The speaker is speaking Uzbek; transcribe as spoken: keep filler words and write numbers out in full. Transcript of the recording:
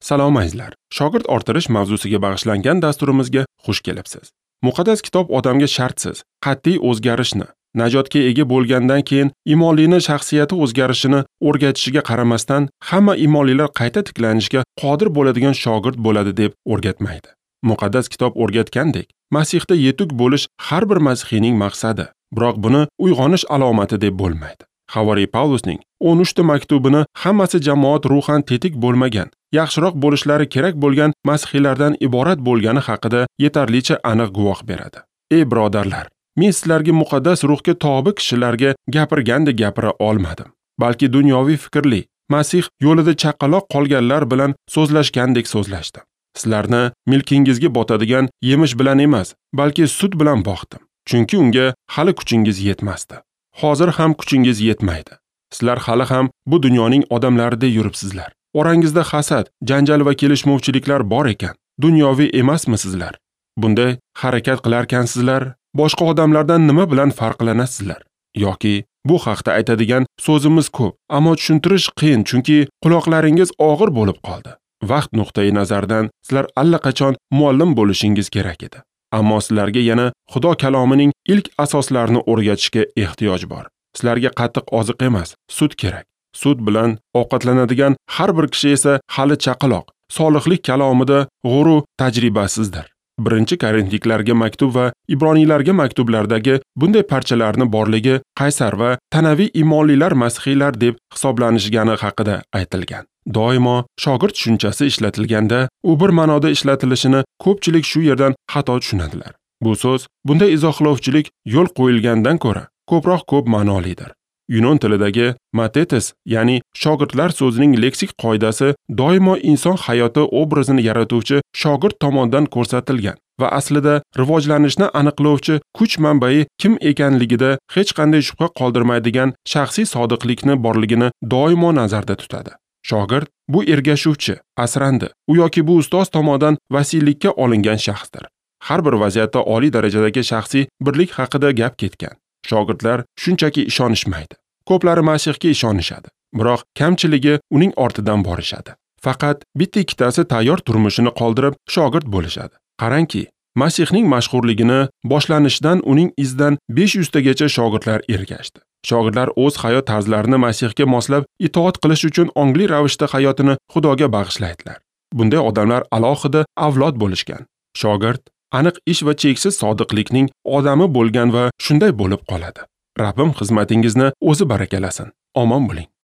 Salom azizlar. Shogird orttirish mavzusiga bag'ishlangan dasturimizga xush kelibsiz. Muqaddas kitob odamga shartsiz, qat'iy o'zgarishni, najotga ega bo'lgandan keyin imonlining shaxsiyati o'zgarishini o'rgatishiga qaramasdan, hamma imonlilar qayta tiklanishga qodir bo'ladigan shogird bo'ladi deb o'rgatmaydi. Muqaddas kitob o'rgatgandek, Masihda yetuk bo'lish har bir masihiyning maqsadi, biroq buni uyg'onish alomati deb bo'lmaydi. Havoriy Pavlusning o'n uchta maktubini hammasi jamoat ruhan tetik bo'lmagan, yaxshiroq bo'lishlari kerak bo'lgan masihiylardan iborat bo'lgani haqida yetarlicha aniq guvoh beradi. Ey birodarlar, men sizlarga muqaddas ruhga tobi kishilarga gapirgandek gapira olmadim, balki dunyoviy fikrli, Masih yo'lida chaqaloq qolganlar bilan so'zlashgandek so'zlashdim. Sizlarni milkingizga botadigan yemish bilan emas, balki sut bilan boqdim, chunki unga hali kuchingiz yetmasdi. Hozir ham kuchingiz yetmaydi. Sizlar hali ham bu dunyoning odamlarida yuribsizlar. Orangizda hasad, janjal va kelishmovchiliklar bor ekan, dunyoviy emasmisizlar? Bunday harakat qilarkansizlar, boshqa odamlardan nima bilan farqlanasizlar? Yoki bu haqda aytadigan so'zimiz ko'p, ammo tushuntirish qiyin, chunki quloqlaringiz og'ir bo'lib qoldi. Vaqt nuqtai nazaridan sizlar allaqachon muallim bo'lishingiz kerak edi. Ammo sizlarga yana Xudo kalomining ilk asoslarini o'rgatishga ehtiyoj bor. Sizlarga qattiq oziq emas, sut kerak. Sut bilan ovqatlanadigan har bir kishi esa hali chaqaloq, solihlik kalomida g'urur tajribasizdir. Birinchi Korintiklarga maktub va Ibroniylarga maktublardagi bunday parchalarni borligi qaysar va tanaviy imonlilar masihiylar deb hisoblanishgani haqida aytilgan. Doimo shogird tushunchasi ishlatilganda, u bir ma'noda ishlatilishini ko'pchilik shu yerdan xato tushunadilar. Bu so'z bunday izohlovchilik yo'l qo'yilgandan ko'ra ko'proq ko'p ma'nolidir. Yunon tilidagi matetes, ya'ni shogirdlar so'zining leksik qoidasi doimo inson hayoti obrazini yaratuvchi shogird tomonidan ko'rsatilgan va aslida rivojlanishni aniqlovchi kuch manbai kim ekanligida hech qanday shubha qoldirmaydigan shaxsiy sodiqlikni borligini doimo nazarda tutadi. Shogird bu ergashuvchi, asrandi, u yoki bu ustoz tomonidan vasiylikka olingan shaxsdir. Har bir vaziyatda oliy darajadagi shaxsiy birlik haqida gap ketgan. Shogirdlar shunchaki ishonishmaydi. Ko'plari Masihga ishonishadi, biroq kamchiligi uning ortidan borishadi. Faqat bitta ikkitasi tayyor turmushini qoldirib shogird bo'lishadi. Qarangki, Masihning mashhurligini boshlanishidan uning izidan besh yuz tagacha shogirdlar ergashdi. Shogirdlar o'z hayot tarzlarini Masihga moslab itoat qilish uchun ongli ravishda hayotini Xudoga bag'ishlaydilar. Bunday odamlar alohida avlod bo'lishgan. Shogird aniq ish va cheksiz sodiqlikning odami bo'lgan va shunday bo'lib qoladi. Rabbim xizmatingizni o'zi barakalasin. Omon bo'ling.